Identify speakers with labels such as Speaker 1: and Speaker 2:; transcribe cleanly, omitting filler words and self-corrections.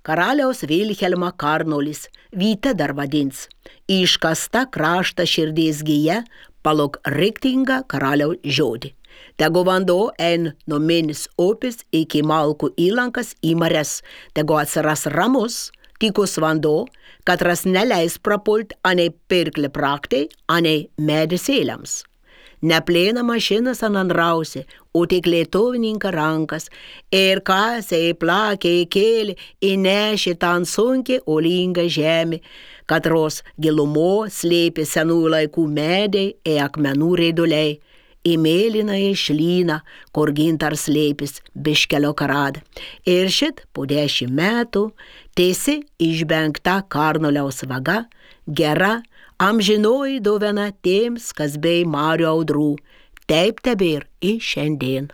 Speaker 1: karaliaus Vilhelmą Karnolis, Vyte dar vadins, iškasta krašta širdies gija, palok riktingą karaliaus žodį. Tegu vanduo ein nuo Minis upės iki Malkų įlankas į marias, tegu atsiras ramus, tykus vanduo, katras neleis prapult anei pirkli praktai, anei medisėliams. Neplėna mašinas ananrausi, o tik lietuvininka rankas, ir kasė, plakė, kėlė, įnešė tan sunkiai olingą žemę, katros gilumo slėpė senų laikų medai ir akmenų reiduliai, į mėlyną išlyną, kur gintar slėpis biškelio karada. Ir šit po 10 metų tiesi išbengta Karnoliaus vaga, gera, amžinoji dovana tiems, kas bei marių audrų, taip tebėr į šiandien.